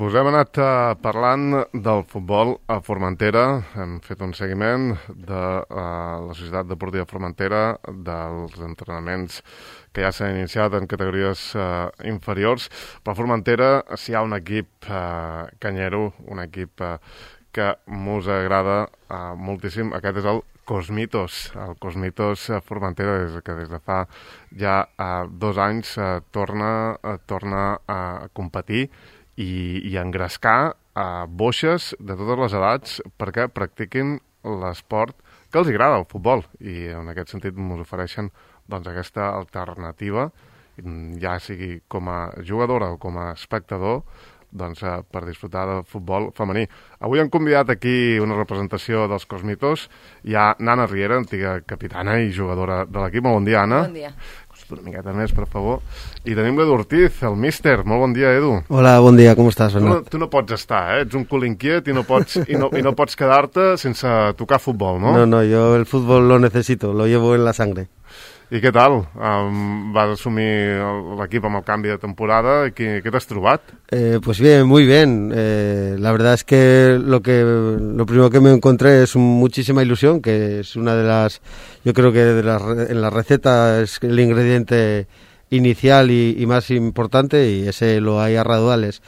Us hem anat parlant del futbol a Formentera, hem fet un seguiment de la Societat Deportiva Formentera, dels entrenaments que ja s'han iniciat en categories inferiors. Per Formentera, si hi ha un equip canyero, un equip que mos agrada moltíssim, aquest és el Cosmitos. El Cosmitos Formentera, que des de fa ja 2 anys torna a competir i engrescar boixes de totes les edats perquè practiquin l'esport que els agrada, el futbol. I en aquest sentit ens ofereixen aquesta alternativa, ja sigui com a jugadora o com a espectador, per disfrutar de futbol femení. Avui hem convidat aquí una representació dels Cosmitos. Hi ha Nana Riera, antiga capitana i jugadora de l'equip. Molt bon dia, Anna. Bon dia. Una miqueta més, per favor. I tenim l'Edu Ortiz, el míster. Molt bon dia, Edu. Hola, bon dia, com estàs, Bernat? Tu no pots estar, ets un cul inquiet i no pots quedar-te sense tocar futbol, no? No, yo el fútbol lo necesito, lo llevo en la sangre. I què tal? Vas assumir l'equip amb el canvi de temporada. Què t'has trobat? Pues bien, muy bien. La verdad es que lo primero que me encontré es muchísima ilusión, que es una de las, yo creo que en la receta es el ingrediente inicial y más importante, y ese lo hay a raudales.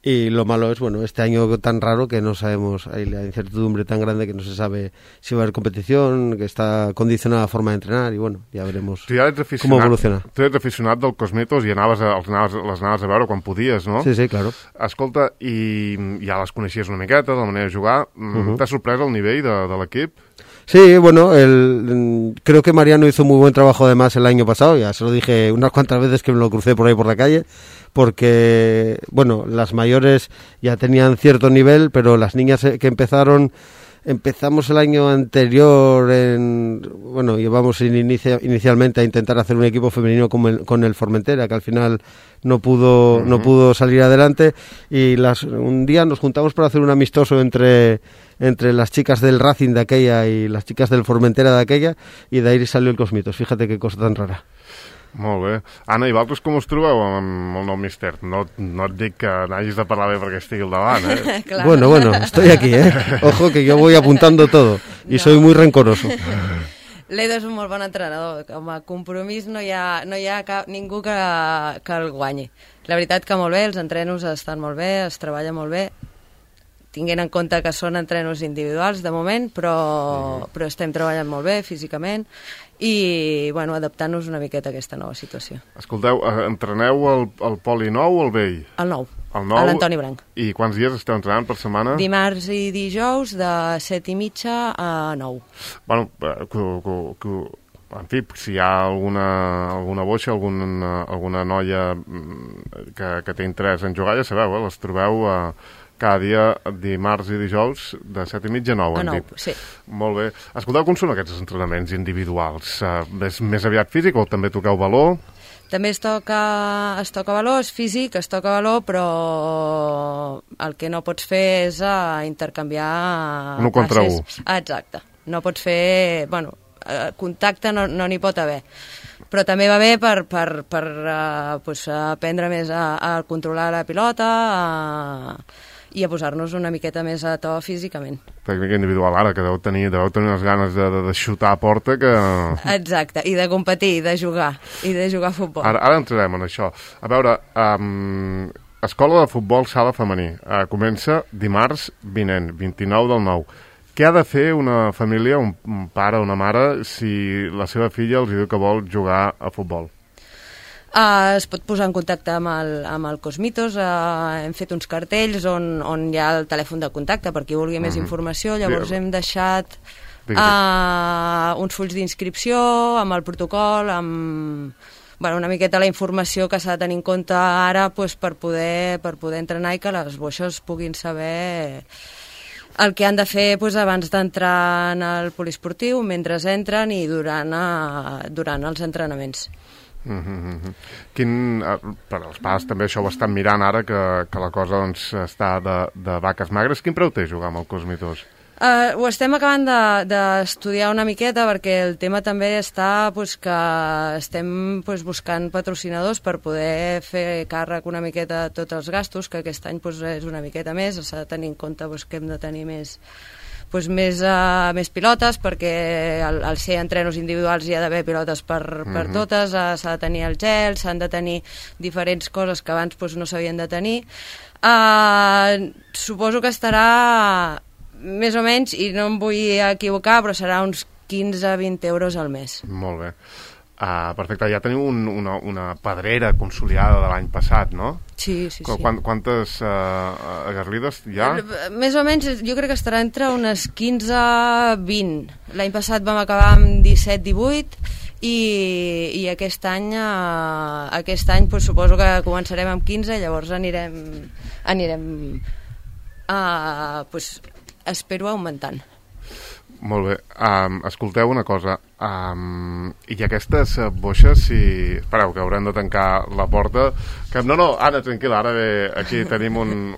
Y lo malo es, bueno, este año tan raro que no sabemos, hay la incertidumbre tan grande que no se sabe si va a haber competición, que está condicionada la forma de entrenar, y bueno, ya veremos cómo evoluciona. Tu ets aficionat del Cosmitos i les anaves a veure quan podies, no? Sí, claro. Escolta, i ja les coneixies una miqueta, de la manera de jugar. T'ha sorprès el nivell de l'equip? Sí, bueno, creo que Mariano hizo muy buen trabajo además el año pasado, ya se lo dije unas cuantas veces que me lo crucé por ahí por la calle, porque, bueno, las mayores ya tenían cierto nivel, pero las niñas que empezamos el año anterior, llevamos inicialmente a intentar hacer un equipo femenino con el Formentera, que al final no pudo salir adelante, y un día nos juntamos para hacer un amistoso entre las chicas del Racing de aquella y las chicas del Formentera de aquella, i d'ahir salió el Cosmitos. Fíjate qué cosa tan rara. Molt bé. Anna, i vosaltres com us trobeu amb el nou míster? No et dic que n'hagis de parlar bé perquè estigui al davant, eh? Claro. Bueno, estoy aquí, Ojo que yo voy apuntando todo y soy muy rencoroso. L'Edo és un molt bon entrenador. Com a compromís no hi ha ningú que el guanyi. La veritat que molt bé, els entrenos estan molt bé, es treballa molt bé, tinguent en compte que són entrenos individuals de moment, però estem treballant molt bé físicament i adaptant-nos una miqueta a aquesta nova situació. Escolteu, entreneu el poli nou o el vell? El nou, a l'Antoni Branc. I quants dies esteu entrenant per setmana? Dimarts i dijous de 7:30 a 9. Bueno, en fi, si hi ha alguna boixa, alguna noia que té interès en jugar, ja sabeu, les trobeu cada dia, dimarts i dijous, de 7:30 a 9. A 9, sí. Molt bé. Escolteu, com són aquests entrenaments individuals? És més aviat físic o també toqueu valor? També es toca valor, és físic, es toca valor, però el que no pots fer és intercanviar... 1 contra 1. Exacte. No pots fer... contacte no n'hi pot haver. Però també va bé per aprendre més a controlar la pilota i a posar-nos una miqueta més a to físicament. Tècnica individual ara, que deveu tenir unes ganes de xutar a porta que... Exacte, i de competir, i de jugar a futbol. Ara entrarem en això. A veure, Escola de Futbol Sala Femení comença dimarts vinent, 29 del 9. Què ha de fer una família, un pare o una mare, si la seva filla els diu que vol jugar a futbol? Es pot posar en contacte amb el Cosmitos, hem fet uns cartells on hi ha el telèfon de contacte per qui vulgui més informació, llavors hem deixat uns fulls d'inscripció amb el protocol, amb una miqueta la informació que s'ha de tenir en compte ara per poder entrenar i que les boixes puguin saber el que han de fer abans d'entrar en el poliesportiu, mentre entren i durant els entrenaments. Per als pares també això ho estan mirant ara, que la cosa està de vaques magres. Quin preu té jugar amb el Cosmitos? Ho estem acabant d'estudiar una miqueta perquè el tema també està que estem buscant patrocinadors per poder fer càrrec una miqueta de tots els gastos, que aquest any és una miqueta més, s'ha de tenir en compte que hem de tenir més pilotes, perquè al ser entrenos individuals hi ha d'haver pilotes per totes, s'ha de tenir el gel, s'han de tenir diferents coses que abans no s'havien de tenir. Suposo que estarà més o menys, i no em vull equivocar, però serà uns 15-20 euros al mes. Molt bé. Perfecte, ja teniu una pedrera consolidada de l'any passat, no? Sí. Quantes garlides hi ha? Més o menys, jo crec que estarà entre unes 15-20. L'any passat vam acabar amb 17-18 i aquest any suposo que començarem amb 15, llavors anirem espero augmentant. Molt bé. Escolteu una cosa. I aquestes boixes, espereu, que haurem de tancar la porta. No, Anna, tranquil·la, ara ve aquí tenim un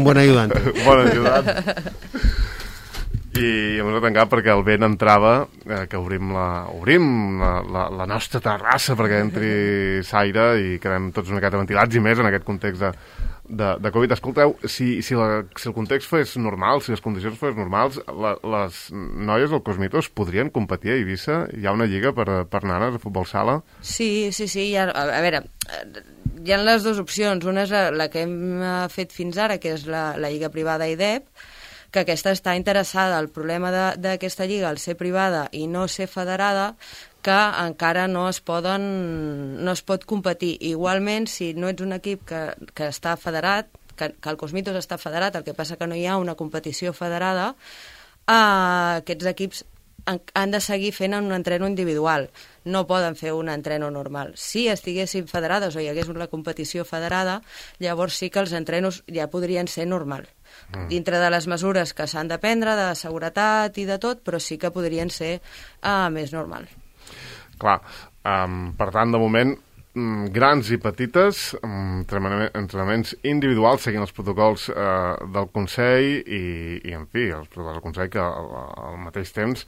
bon ajudant. Bon ajudant. I hem de tancar perquè el vent entrava, que obrim la nostra terrassa perquè entri l'aire i quedem tots una miqueta ventilats, i més en aquest context de Covid. Escolteu, si el context fos normal, si les condicions fos normals, les noies del Cosmitos podrien competir a Eivissa? Hi ha una lliga per nanes de futbol sala? Sí. A veure, hi ha les dues opcions. Una és la que hem fet fins ara, que és la lliga privada IDEP, que aquesta està interessada. El problema d'aquesta lliga, al ser privada i no ser federada, que encara no es pot competir. Igualment, si no ets un equip que està federat, que el Cosmitos està federat, el que passa que no hi ha una competició federada, aquests equips han de seguir fent un entreno individual. No poden fer un entreno normal. Si estiguessin federades o hi hagués una competició federada, llavors sí que els entrenos ja podrien ser normal. Dintre de les mesures que s'han de prendre, de seguretat i de tot, però sí que podrien ser més normal. Clar, per tant, de moment, grans i petites, entrenaments individuals seguint els protocols del Consell i en fi, els protocols del Consell que al mateix temps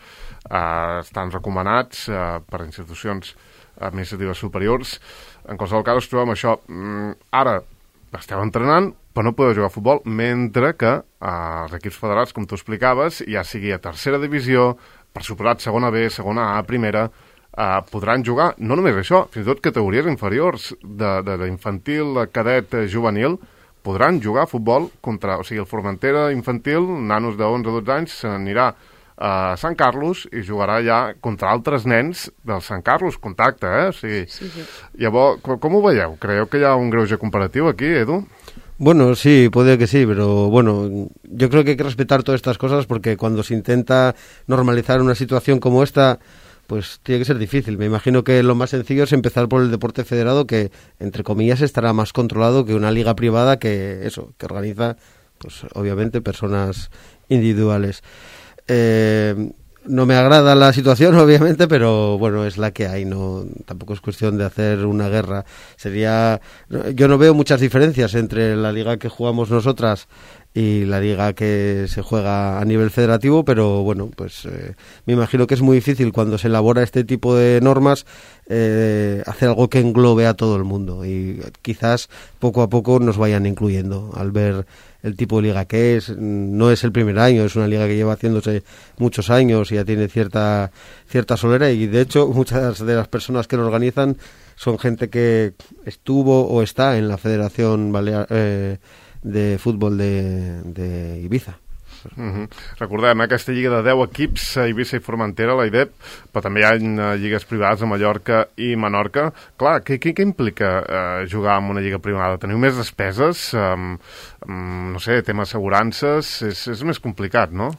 estan recomanats per institucions administratives superiors. En qualsevol cas, ens trobem això. Ara esteu entrenant, però no podeu jugar a futbol, mentre que els equips federats, com tu explicaves, ja sigui a tercera divisió, per suposat segona B, segona A, primera, podran jugar, no només això, fins i tot categories inferiors d'infantil, cadet, juvenil, podran jugar a futbol contra, o sigui, el Formentera infantil, nanos de 11-12 anys, se n'anirà a Sant Carlos i jugarà ja contra altres nens del Sant Carlos, contacte, o sigui, sí. Llavors, com ho veieu? Creieu que hi ha un greuge comparatiu aquí, Edu? Bueno, sí, puede que sí, pero bueno, yo creo que hay que respetar todas estas cosas porque cuando se intenta normalizar una situación como esta, pues tiene que ser difícil. Me imagino que lo más sencillo es empezar por el deporte federado, que entre comillas estará más controlado que una liga privada que organiza, pues obviamente, personas individuales. No me agrada la situación, obviamente, pero bueno, es la que hay, no, tampoco es cuestión de hacer una guerra. Yo no veo muchas diferencias entre la liga que jugamos nosotras y la liga que se juega a nivel federativo, pero bueno, pues me imagino que es muy difícil cuando se elabora este tipo de normas hacer algo que englobe a todo el mundo, y quizás poco a poco nos vayan incluyendo al ver el tipo de liga que es. No es el primer año, es una liga que lleva haciéndose muchos años y ya tiene cierta solera, y de hecho muchas de las personas que lo organizan son gente que estuvo o está en la Federación Balear de Futbol de Ibiza. Recordem, aquesta lliga de 10 equips a Eivissa i Formentera, la IDEP, però també hi ha lligues privades a Mallorca i Menorca. Clar, què implica jugar en una lliga privada? Teniu més despeses? No sé, tema assegurances? És més complicat, ¿no?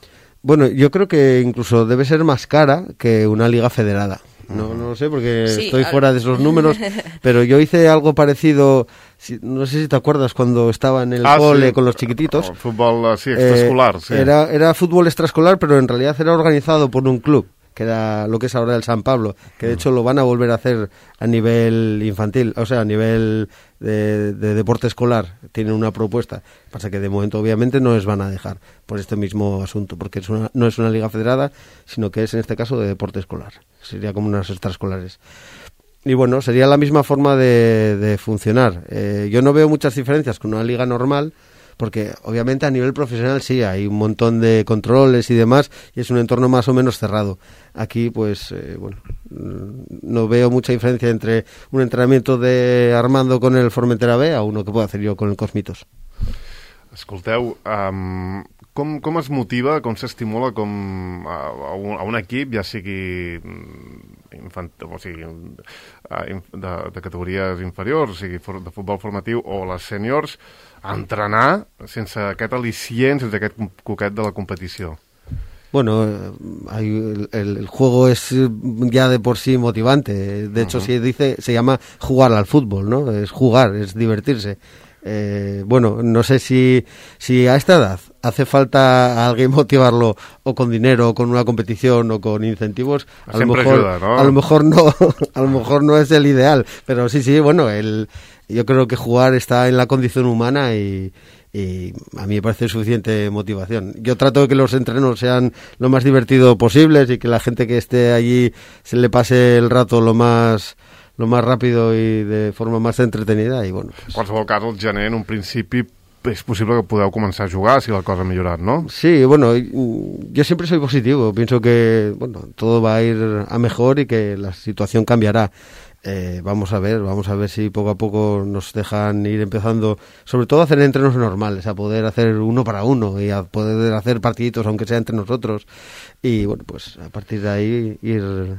Bueno, yo creo que incluso debe ser más cara que una liga federada. No lo sé porque sí, estoy fuera de esos números, pero yo hice algo parecido, no sé si te acuerdas, cuando estaba en el cole, sí, con los chiquititos. Fútbol, sí, extraescolar. Sí. Era fútbol extraescolar, pero en realidad era organizado por un club. que era lo que es ahora el San Pablo, que de hecho lo van a volver a hacer a nivel infantil, o sea, a nivel de deporte escolar. Tienen una propuesta, pasa que de momento obviamente no les van a dejar por este mismo asunto, porque no es una liga federada, sino que es en este caso de deporte escolar, sería como unas extraescolares. Y bueno, sería la misma forma de funcionar. Yo no veo muchas diferencias con una liga normal, porque obviamente a nivel profesional sí, hay un montón de controles y demás, y es un entorno más o menos cerrado. Aquí, pues, no veo mucha diferencia entre un entrenamiento de Armando con el Formentera B a uno que puedo hacer yo con el Cosmitos. Escolteu, com es motiva, com s'estimula a un equip, ja sigui de categories inferiors, o sigui de futbol formatiu o les sèniors, a entrenar sense aquest al·licient, sense aquest coquet de la competició? Bueno, el juego es ya de por sí motivante. De hecho, se llama jugar al fútbol, ¿no? Es jugar, es divertirse. Bueno, no sé si a esta edad hace falta a alguien motivarlo o con dinero o con una competición o con incentivos. A lo mejor ayuda, ¿no? A lo mejor no es el ideal, pero sí, bueno, yo creo que jugar está en la condición humana y a mí me parece suficiente motivación. Yo trato de que los entrenos sean lo más divertidos posibles y que la gente que esté allí se le pase el rato lo más ràpido i de forma més entretenida i bueno. En qualsevol cas, el gener, en un principi, és possible que podeu començar a jugar si la cosa ha millorat, ¿no? Sí, bueno, yo siempre soy positivo. Pienso que bueno, todo va a ir a mejor y que la situación cambiará. Vamos a ver si poco a poco nos dejan ir empezando, sobre todo a hacer entrenos normales, a poder hacer uno para uno y a poder hacer partiditos, aunque sea entre nosotros. Y bueno, pues a partir de ahí ir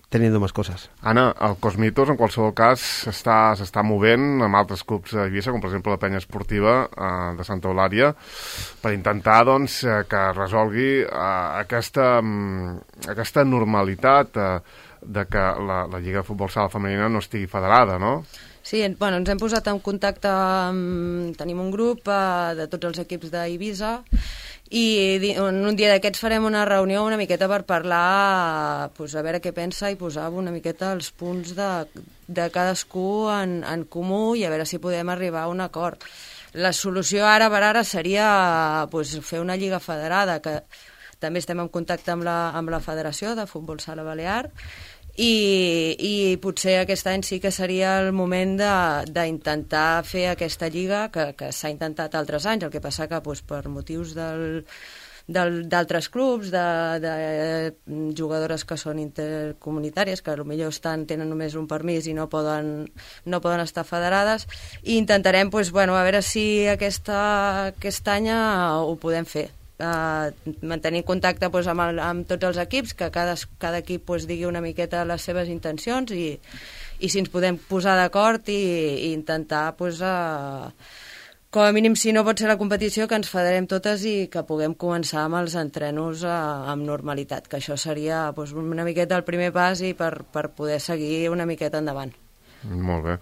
teniendo más cosas. Anna, el Cosmitos en qualsevol cas s'està movent amb altres clubs de Eivissa, com per exemple la penya esportiva de Santa Eulària, per intentar doncs, que resolgui aquesta normalitat de que la Lliga de Futbol Sala Femenina no estigui federada, no? Sí, bueno, ens hem posat en contacte tenim un grup de tots els equips d'Eivissa i en un dia d'aquests farem una reunió una miqueta per parlar, pues, a veure què pensa i posar una miqueta els punts de cadascú en comú i a veure si podem arribar a un acord. La solució ara per ara seria pues, fer una lliga federada, que també estem en contacte amb la Federació de Futbol Sala Balear, i potser aquest any sí que seria el moment d'intentar fer aquesta lliga que s'ha intentat altres anys, el que passa que doncs, per motius d'altres clubs, de jugadores que són intercomunitàries, que potser tenen només un permís i no poden estar federades, i intentarem doncs, bueno, a veure si aquest any ho podem fer. Mantenir contacte doncs, amb tots els equips, que cada equip doncs, digui una miqueta les seves intencions i si ens podem posar d'acord i intentar doncs, com a mínim, si no pot ser la competició, que ens federem totes i que puguem començar amb els entrenos amb normalitat, que això seria doncs, una miqueta el primer pas i per poder seguir una miqueta endavant. Molt bé.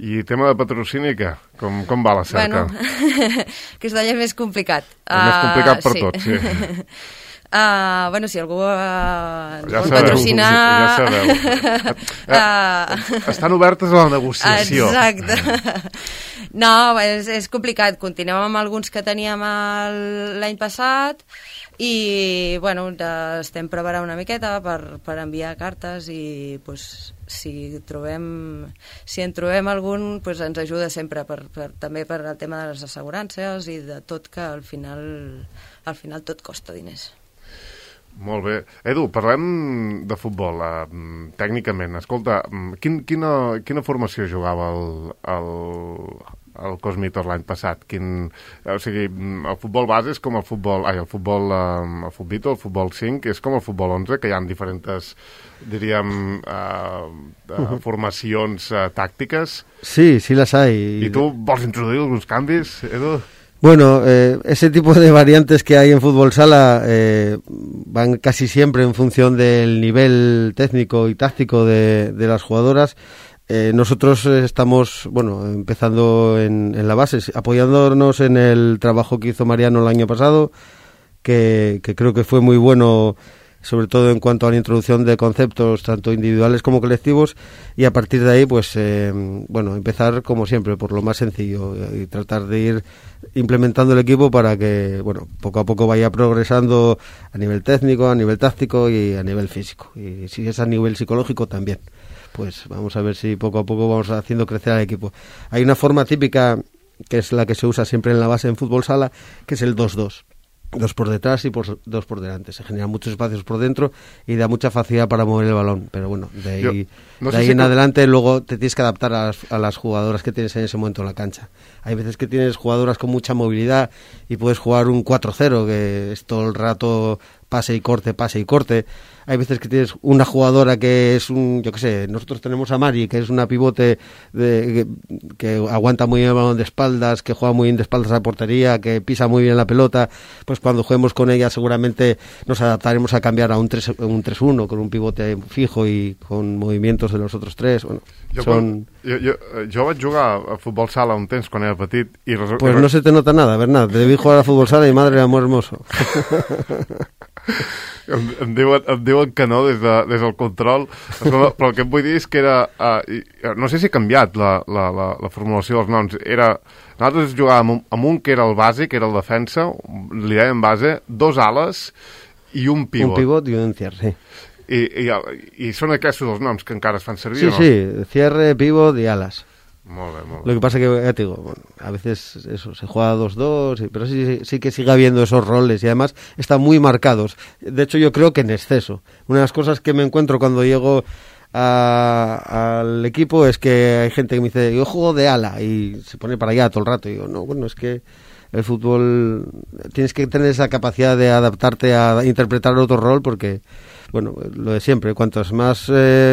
I tema de patrocini, què? Com va la cerca? Bueno, aquest any és més complicat. És més complicat per tots, sí. Bueno, si algú vol patrocinar... Ja sabeu. Estan obertes a la negociació. Exacte. No, és complicat. Continuem amb alguns que teníem l'any passat i, bueno, estem preparant una miqueta per enviar cartes i, pues, si en trobem algun, pues, ens ajuda sempre també per el tema de les assegurances i de tot, que al final tot costa diners. Molt bé. Edu, parlem de futbol, tècnicament. Escolta, quina formació jugava el Cosmitos l'any passat? O sigui, el futbol base és com el futbol 5, és com el futbol 11, que hi ha diferents, diríem, formacions tàctiques. Sí, las hay. I tu vols introduir alguns canvis, Edu? Bueno, ese tipo de variantes que hay en fútbol sala van casi siempre en función del nivel técnico y táctico de las jugadoras. Nosotros estamos, bueno, empezando en la base, apoyándonos en el trabajo que hizo Mariano el año pasado, que creo que fue muy bueno, sobre todo en cuanto a la introducción de conceptos tanto individuales como colectivos, y a partir de ahí pues empezar como siempre por lo más sencillo y tratar de ir implementando el equipo para que poco a poco vaya progresando a nivel técnico, a nivel táctico y a nivel físico, y si es a nivel psicológico también. Pues vamos a ver si poco a poco vamos haciendo crecer al equipo. Hay una forma típica que es la que se usa siempre en la base en fútbol sala, que es el 2-2. 2 por detrás y 2 por delante. Se generan muchos espacios por dentro y da mucha facilidad para mover el balón. Pero bueno, de ahí en adelante luego te tienes que adaptar a las jugadoras que tienes en ese momento en la cancha. Hay veces que tienes jugadoras con mucha movilidad y puedes jugar un 4-0, que es todo el rato pase y corte. Hay veces que tienes una jugadora que es nosotros tenemos a Mari, que es una pivote que aguanta muy bien el balón de espaldas, que juega muy bien de espaldas a la portería, que pisa muy bien la pelota. Pues cuando juguemos con ella seguramente nos adaptaremos a cambiar a un 3-1 con un pivote fijo y con movimientos de los otros tres. Bueno, jo vaig jugar a futbol sala un temps quan era petit i pues no se te nota nada, Bernat. Debí jugar a fútbol sala y madre amor hermoso. Em diuen que no des del control, però el que em vull dir és que era no sé si ha canviat la formulació dels noms. Nosaltres jugàvem amb un que era el base, que era el defensa, li dèiem base, 2 ales i un pivot. Un pivot i un cierre, sí. I són aquests els noms que encara es fan servir, sí, no? Sí, cierre, pivot y alas. Molt bé. Lo que pasa que, ya te digo, a veces eso, se juega 2-2, pero sí que sigue habiendo esos roles y además están muy marcados. De hecho, yo creo que en exceso. Una de las cosas que me encuentro cuando llego al equipo es que hay gente que me dice, yo juego de ala, y se pone para allá todo el rato. Y digo, no, es que el fútbol tienes que tener esa capacidad de adaptarte a interpretar otro rol, porque lo de siempre, cuantos más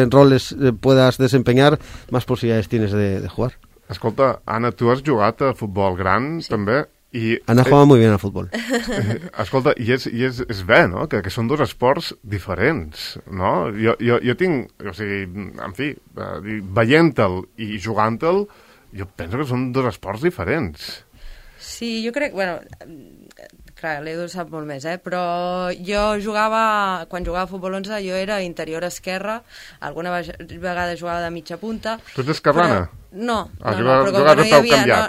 roles puedas desempeñar, más posibilidades tienes de jugar. Escolta, Anna, tu has jugat a futbol gran, sí, també? Ana juega muy bien al fútbol. Escolta, i és bé, no?, que són 2 esports diferents, no? Jo tinc, o sigui, en fi, veient-te'l i jugant-te'l, jo penso que són 2 esports diferents. Sí, jo crec, clar, l'Edu sap molt més, però jo quan jugava a futbol 11, jo era interior esquerra, alguna vegada jugava de mitja punta. Tu ets esquerrana? No, però com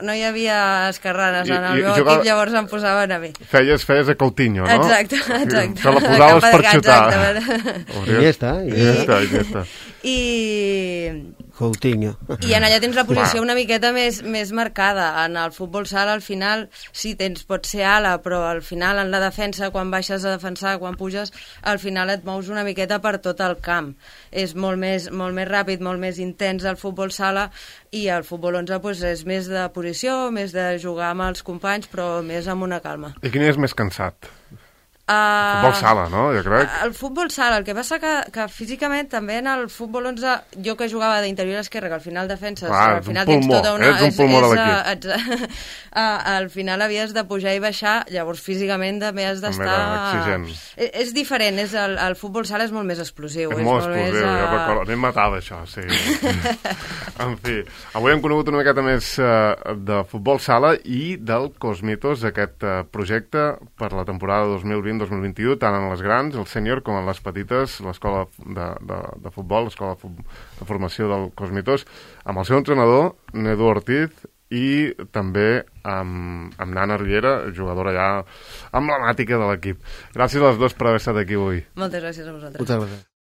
no hi havia esquerranes en el meu equip, llavors em posaven a mi. Feies a Coutinho, no? Exacte. Te la posaves per xutar. I ja està. Coutinho. I en allà tens la posició una miqueta més marcada. En el futbol sala, al final, sí, pots ser ala, però al final en la defensa, quan baixes a defensar, quan puges, al final et mous una miqueta per tot el camp. És molt més ràpid, molt més intens el futbol sala, i el futbol 11 és més de posició, més de jugar amb els companys, però més amb una calma. I quin és més cansat? Futbol sala, no? Jo crec. El futbol sala, el que passa que físicament també en el futbol 11, jo que jugava d'interior esquerra, que al final defenses, al final tens tota una... Ets un pulmó de l'equip. Al final havies de pujar i baixar, llavors físicament també has d'estar... Exigent. És diferent, el futbol sala és molt més explosiu. És molt explosiu, jo recordo, a mi em matava això, sí. En fi, avui hem conegut una miqueta més de futbol sala i del Cosmitos, aquest projecte per la temporada 2020-2021, tant en les grans, el sènior, com en les petites, l'escola de futbol, l'escola de formació del Cosmitos, amb el seu entrenador, Nedu Ortiz, i també amb Nana Riera, jugadora ja emblemàtica de l'equip. Gràcies a les dues per haver estat aquí avui. Moltes gràcies a vosaltres. Moltes gràcies.